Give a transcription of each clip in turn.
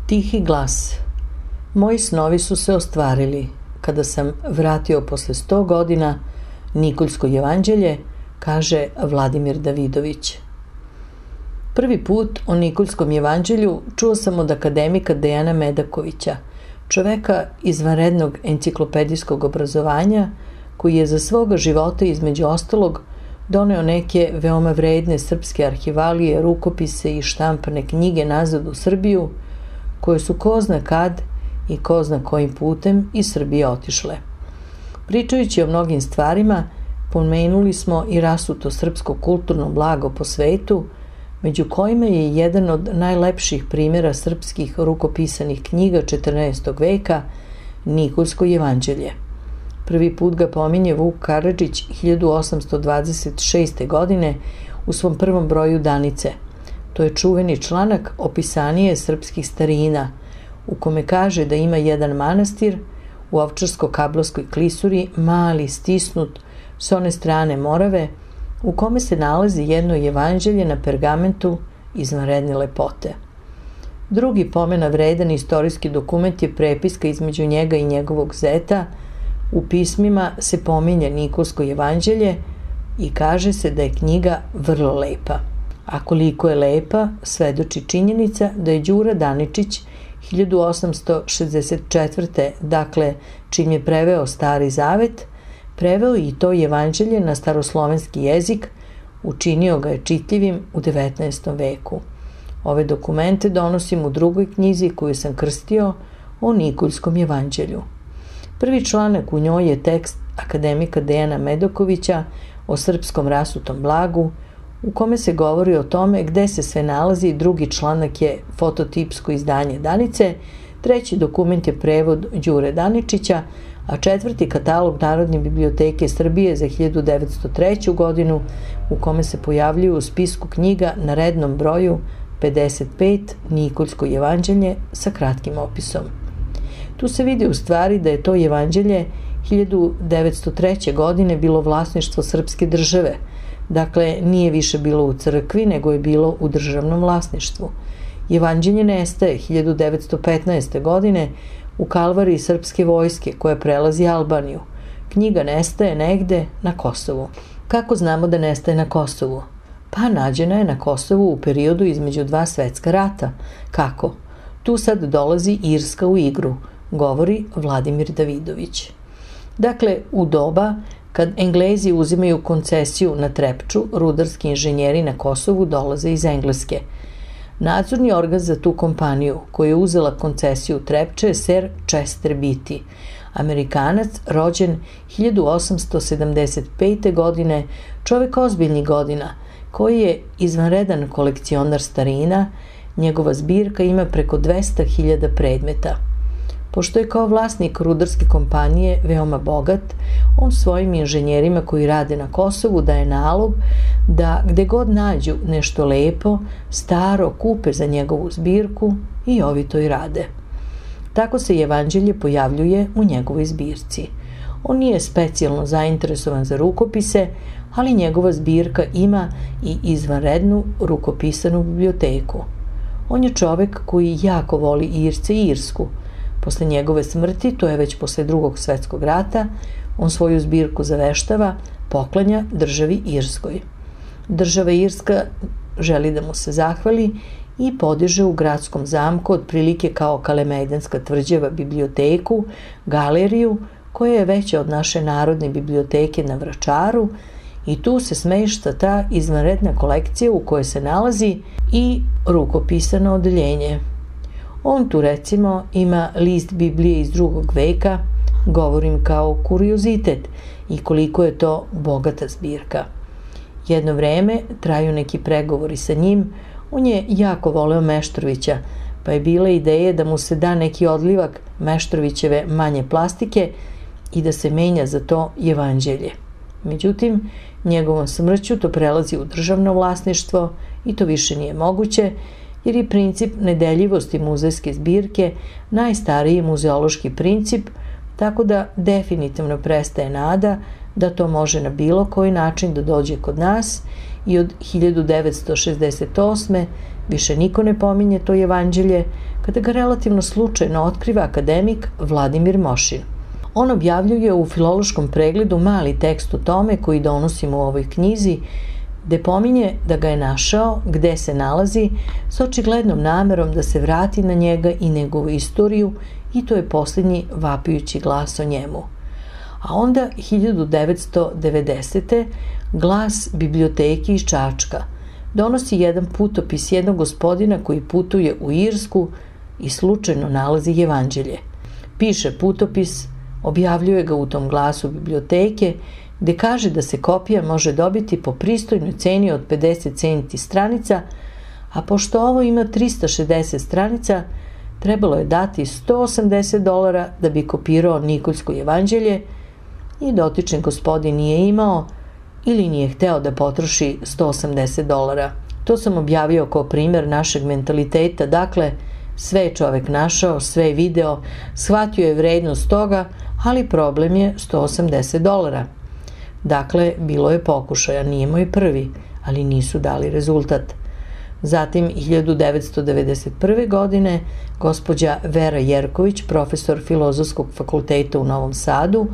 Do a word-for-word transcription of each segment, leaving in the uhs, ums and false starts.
Tihi glas. Moji snovi su se ostvarili kada sam vratio posle sto godina Nikoljsko jevanđelje, kaže Vladimir Davidović. Prvi put o Nikoljskom jevanđelju čuo sam od akademika Dejana Medakovića, čoveka izvanrednog enciklopedijskog obrazovanja, koji je za svoga života između ostalog doneo neke veoma vredne srpske arhivalije, rukopise i štampane knjige nazad u Srbiju, koje su ko zna kad i ko zna kojim putem iz Srbije otišle. Pričajući o mnogim stvarima, pomenuli smo i rasuto srpsko kulturno blago po svetu, među kojima je jedan od najlepših primjera srpskih rukopisanih knjiga četrnaestog veka, Nikoljsko jevanđelje. Prvi put ga pominje Vuk Karadžić hiljadu osamsto dvadeset šeste. godine u svom prvom broju Danice. To je čuveni članak Opisanije srpskih starina, u kome kaže da ima jedan manastir u Ovčarsko-Kablarskoj klisuri, mali, stisnut, s one strane Morave, u kome se nalazi jedno jevanđelje na pergamentu izvanredne lepote. Drugi pomena vredan istorijski dokument je prepiska između njega i njegovog zeta. U pismima se pominje Nikolsko jevanđelje i kaže se da je knjiga vrlo lepa. A koliko je lepa, svedoči činjenica da je Đura Daničić hiljadu osamsto šezdeset četvrte. dakle, čim je preveo Stari zavet, preveo i to jevanđelje na staroslovenski jezik, učinio ga je čitljivim u devetnaestom veku. Ove dokumente donosim u drugoj knjizi koju sam krstio o Nikoljskom jevanđelju. Prvi članak u njoj je tekst akademika Dejana Medakovića o srpskom rasutom blagu, u kome se govori o tome gde se sve nalazi. Drugi članak je fototipsko izdanje Danice, treći dokument je prevod Đure Daničića, a četvrti katalog Narodne biblioteke Srbije za hiljadu devetsto treću. godinu, u kome se pojavljuju u spisku knjiga na rednom broju pedeset pet Nikoljsko jevanđelje sa kratkim opisom. Tu se vidi u stvari da je to jevanđelje hiljadu devetsto treće. godine bilo vlasništvo srpske države, dakle nije više bilo u crkvi, nego je bilo u državnom vlasništvu. Jevanđelje nestaje hiljadu devetsto petnaeste. godine u kalvariji srpske vojske koja prelazi Albaniju. Knjiga nestaje negde na Kosovu. Kako znamo da nestaje na Kosovu? Pa nađena je na Kosovu u periodu između dva svetska rata. Kako? Tu sad dolazi Irska u igru, govori Vladimir Davidović. Dakle, u doba kad Englezi uzimaju koncesiju na Trepču, rudarski inženjeri na Kosovu dolaze iz Engleske. Nadzorni organ za tu kompaniju koja je uzela koncesiju Trepče je Sir Chester Beatty, Amerikanac rođen hiljadu osamsto sedamdeset pete. godine, čovek ozbiljnih godina, koji je izvanredan kolekcionar starina. Njegova zbirka ima preko dvesta hiljada predmeta. Pošto je kao vlasnik rudarske kompanije veoma bogat, on svojim inženjerima koji rade na Kosovu daje nalog da gde god nađu nešto lepo, staro, kupe za njegovu zbirku i ovi to i rade. Tako se jevanđelje pojavljuje u njegovoj zbirci. On nije specijalno zainteresovan za rukopise, ali njegova zbirka ima i izvanrednu rukopisanu biblioteku. On je čovek koji jako voli Irce i Irsku. Posle njegove smrti, to je već posle drugog svetskog rata, on svoju zbirku zaveštava, poklanja državi Irskoj. Država Irska želi da mu se zahvali i podiže u gradskom zamku, otprilike kao Kalemegdanska tvrđava, biblioteku, galeriju, koja je veća od naše Narodne biblioteke na Vračaru, i tu se smešta ta izvanredna kolekcija u kojoj se nalazi i rukopisano odeljenje. On tu recimo ima list Biblije iz drugog veka, govorim kao kuriozitet i koliko je to bogata zbirka. Jedno vreme traju neki pregovori sa njim, on je jako voleo Meštrovića, pa je bila ideja da mu se da neki odlivak Meštrovićeve manje plastike i da se menja za to jevanđelje. Međutim, njegovom smrću to prelazi u državno vlasništvo i to više nije moguće, jer je princip nedeljivosti muzejske zbirke najstariji muzeološki princip, tako da definitivno prestaje nada da to može na bilo koji način da dođe kod nas i od hiljadu devetsto šezdeset osme. Više niko ne pominje to evanđelje kada ga relativno slučajno otkriva akademik Vladimir Mošin. On objavljuje u filološkom pregledu mali tekst o tome koji donosimo u ovoj knjizi, gde pominje da ga je našao, gde se nalazi, s očiglednom namerom da se vrati na njega i njegovu istoriju, i to je posljednji vapijući glas o njemu. A onda hiljadu devetsto devedesete. Glas biblioteke iz Čačka donosi jedan putopis jednog gospodina koji putuje u Irsku i slučajno nalazi evanđelje. Piše putopis, objavljuje ga u tom glasu biblioteke, gde kaže da se kopija može dobiti po pristojnoj ceni od pedeset centi stranica, a pošto ovo ima trista šezdeset stranica, trebalo je dati sto osamdeset dolara da bi kopirao Nikoljsko evanđelje, i dotični gospodin nije imao ili nije hteo da potroši sto osamdeset dolara. To sam objavio kao primjer našeg mentaliteta, dakle, sve je čovek našao, sve je video, shvatio je vrednost toga, ali problem je sto osamdeset dolara. Dakle, bilo je pokušaja, nije moj prvi, ali nisu dali rezultat. Zatim, hiljadu devetsto devedeset prve. godine, gospođa Vera Jerković, profesor Filozofskog fakulteta u Novom Sadu,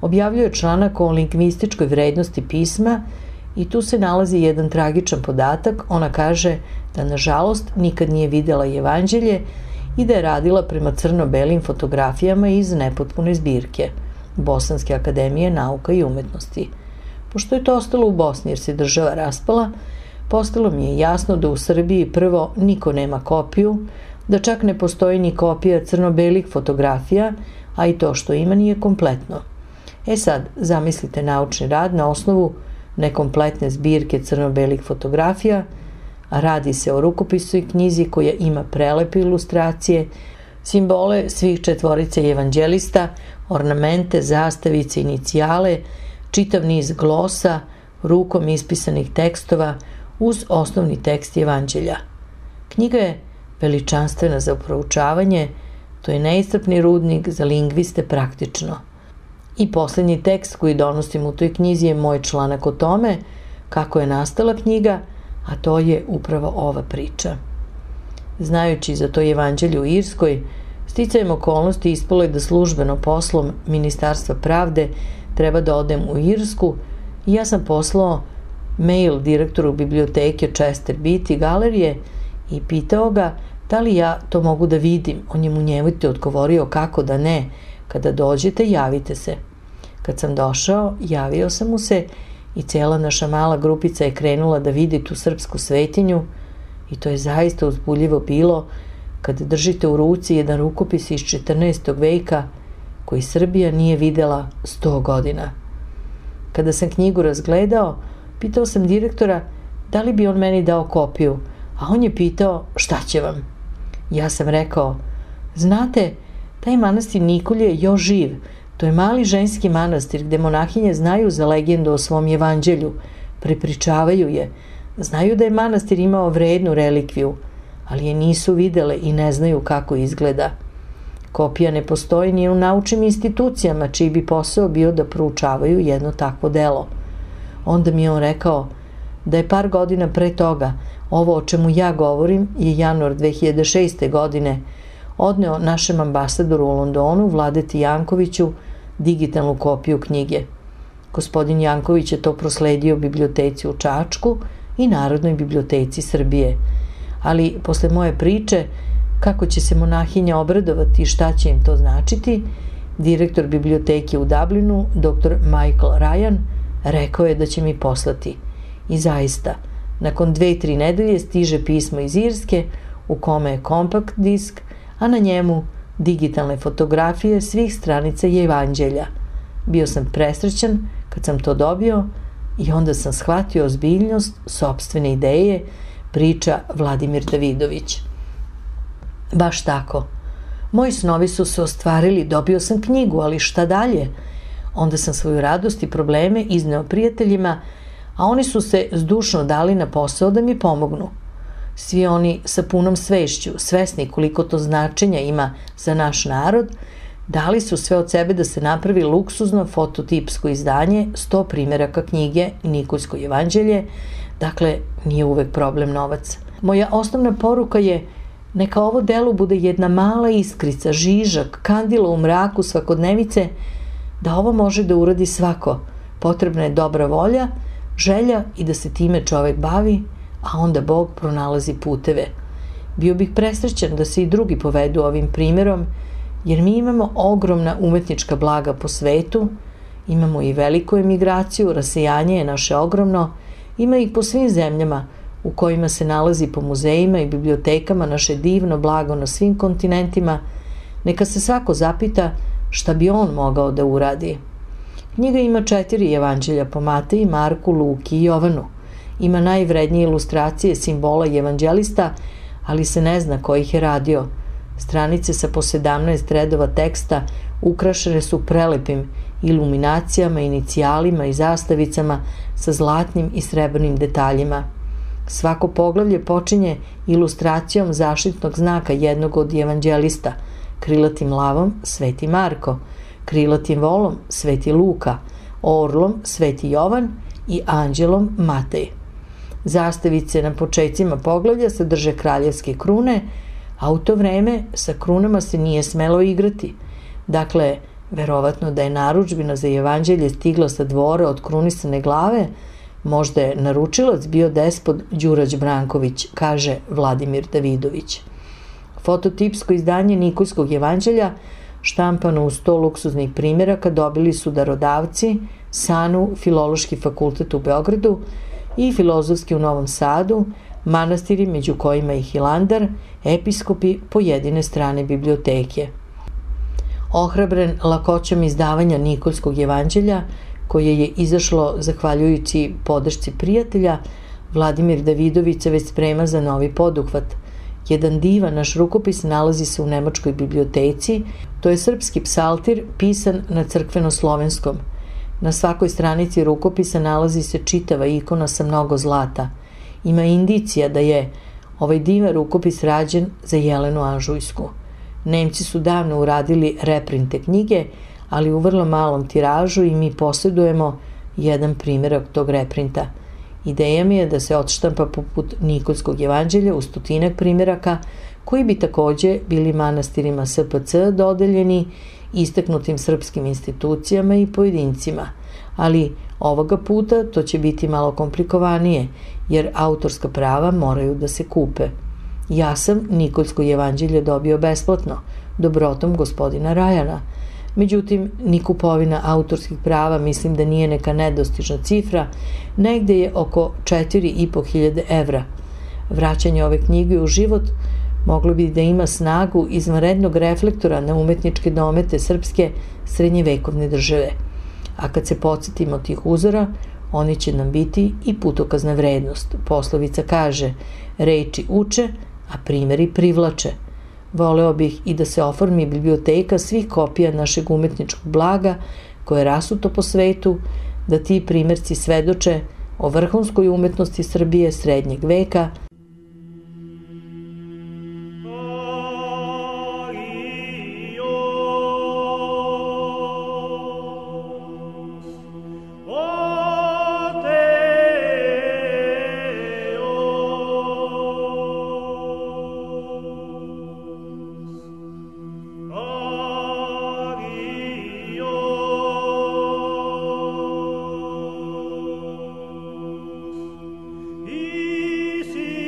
objavljuje članak o lingvističkoj vrednosti pisma i tu se nalazi jedan tragičan podatak. Ona kaže da, nažalost, nikad nije videla evanđelje i da je radila prema crno-belim fotografijama iz nepotpune zbirke Bosanske akademije nauka i umetnosti. Pošto je to ostalo u Bosni jer se država raspala, postalo mi je jasno da u Srbiji prvo niko nema kopiju, da čak ne postoji ni kopija crno-belih fotografija, a i to što ima nije kompletno. E sad, zamislite naučni rad na osnovu nekompletne zbirke crno-belih fotografija, a radi se o rukopisu i knjizi koja ima prelepe ilustracije, simbole svih četvorice evanđelista, ornamente, zastavice, inicijale, čitav niz glosa, rukom ispisanih tekstova uz osnovni tekst evanđelja. Knjiga je veličanstvena za proučavanje, to je neiscrpni rudnik za lingviste praktično. I posljednji tekst koji donosim u toj knjizi je moj članak o tome kako je nastala knjiga, a to je upravo ova priča. Znajući za to evanđelje u Irskoj, sticajem okolnosti ispalo je da službeno poslom Ministarstva pravde treba da odem u Irsku i ja sam poslao mail direktoru biblioteke Chester Beatty galerije i pitao ga da li ja to mogu da vidim. On je mu njevite odgovorio kako da ne, kada dođete javite se. Kad sam došao, javio sam mu se i cijela naša mala grupica je krenula da vidi tu srpsku svetinju i to je zaista uzbudljivo bilo kad držite u ruci jedan rukopis iz četrnaestog veka koji Srbija nije videla sto godina. Kada sam knjigu razgledao, pitao sam direktora da li bi on meni dao kopiju, a on je pitao šta će vam. Ja sam rekao, znate, taj manastir Nikolje je još živ, to je mali ženski manastir gde monahinje znaju za legendu o svom evanđelju, prepričavaju je, znaju da je manastir imao vrednu relikviju, ali je nisu videle i ne znaju kako izgleda. Kopija ne postoji ni u naučnim institucijama čiji bi posao bio da proučavaju jedno takvo delo. Onda mi je on rekao da je par godina pre toga, ovo o čemu ja govorim je januar dve hiljade šeste. godine, odneo našem ambasadoru u Londonu, Vladeti Jankoviću, digitalnu kopiju knjige. Gospodin Janković je to prosledio biblioteci u Čačku i Narodnoj biblioteci Srbije. Ali posle moje priče, kako će se monahinja obradovati i šta će im to značiti, direktor biblioteke u Dublinu, doktor Michael Ryan, rekao je da će mi poslati. I zaista, nakon dve, tri nedelje stiže pismo iz Irske u kome je kompakt disk, a na njemu digitalne fotografije svih stranica i evanđelja. Bio sam presrećan kad sam to dobio i onda sam shvatio ozbiljnost sopstvene ideje, priča Vladimir Davidović. Baš tako. Moji snovi su se ostvarili, dobio sam knjigu, ali šta dalje? Onda sam svoju radost i probleme izneo prijateljima, a oni su se zdušno dali na posao da mi pomognu. Svi oni sa punom svešću, svesni koliko to značenja ima za naš narod, dali su sve od sebe da se napravi luksuzno fototipsko izdanje sto primjeraka knjige Nikoljsko evanđelje, dakle nije uvek problem novac. Moja osnovna poruka je neka ovo delo bude jedna mala iskrica, žižak, kandilo u mraku svakodnevice, da ovo može da uradi svako. Potrebna je dobra volja, želja i da se time čovek bavi, a onda Bog pronalazi puteve. Bio bih presrećan da se i drugi povedu ovim primjerom, jer mi imamo ogromna umetnička blaga po svetu, imamo i veliku emigraciju, rasejanje je naše ogromno, ima ih po svim zemljama u kojima se nalazi po muzejima i bibliotekama naše divno blago na svim kontinentima, neka se svako zapita šta bi on mogao da uradi. Knjiga ima četiri evanđelja po Mateji, Marku, Luki i Jovanu. Ima najvrednije ilustracije simbola i evanđelista, ali se ne zna ko ih je radio. Stranice sa po sedamnaest redova teksta ukrašene su prelepim iluminacijama, inicijalima i zastavicama sa zlatnim i srebrnim detaljima. Svako poglavlje počinje ilustracijom zaštitnog znaka jednog od evanđelista, krilatim lavom Sveti Marko, krilatim volom Sveti Luka, orlom Sveti Jovan i anđelom Matej. Zastavice na počecima poglavlja sadrže kraljevske krune, a u to vreme sa krunama se nije smelo igrati. Dakle, verovatno da je narudžbina za evanđelje stigla sa dvora od krunisane glave, možda je naručilac bio despot Đurađ Branković, kaže Vladimir Davidović. Fototipsko izdanje Nikoljskog evanđelja, štampano u sto luksuznih primjeraka, dobili su darodavci SANU, Filološki fakultet u Beogradu i Filozofski u Novom Sadu, manastiri među kojima i Hilandar, episkopi pojedine strane biblioteke. Ohrabren lakoćom izdavanja Nikoljskog evanđelja, koje je izašlo zahvaljujući podršci prijatelja, Vladimir Davidović se već sprema za novi poduhvat. Jedan divan naš rukopis nalazi se u Nemačkoj biblioteci, to je srpski psaltir pisan na crkveno-slovenskom. Na svakoj stranici rukopisa nalazi se čitava ikona sa mnogo zlata. Ima indicija da je ovaj divan rukopis rađen za Jelenu Anžujsku. Nemci su davno uradili reprinte knjige, ali u vrlo malom tiražu i mi posjedujemo jedan primjerak tog reprinta. Ideja mi je da se odštampa poput Nikoljskog evanđelja u stotinak primjeraka, koji bi takođe bili manastirima S P C dodeljeni, istaknutim srpskim institucijama i pojedincima. Ali ovoga puta to će biti malo komplikovanije, jer autorska prava moraju da se kupe. Ja sam Nikoljsko evanđelje dobio besplatno, dobrotom gospodina Rajana. Međutim, ni kupovina autorskih prava mislim da nije neka nedostižna cifra, negde je oko četiri i po hiljade evra. Vraćanje ove knjige u život moglo bi da ima snagu izvanrednog reflektora na umetničke domete srpske srednjevekovne države. A kad se podsjetimo tih uzora, oni će nam biti i putokazna vrednost. Poslovica kaže, reči uče, a primjeri privlače. Voleo bih i da se oformi biblioteka svih kopija našeg umetničkog blaga koje je rasuto po svetu, da ti primjerci svedoče o vrhunskoj umetnosti Srbije srednjeg veka, Easy.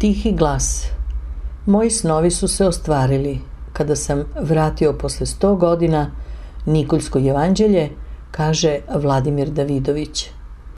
Tihi glas. Moji snovi su se ostvarili kada sam vratio posle sto godina Nikoljsko jevanđelje, kaže Vladimir Davidović.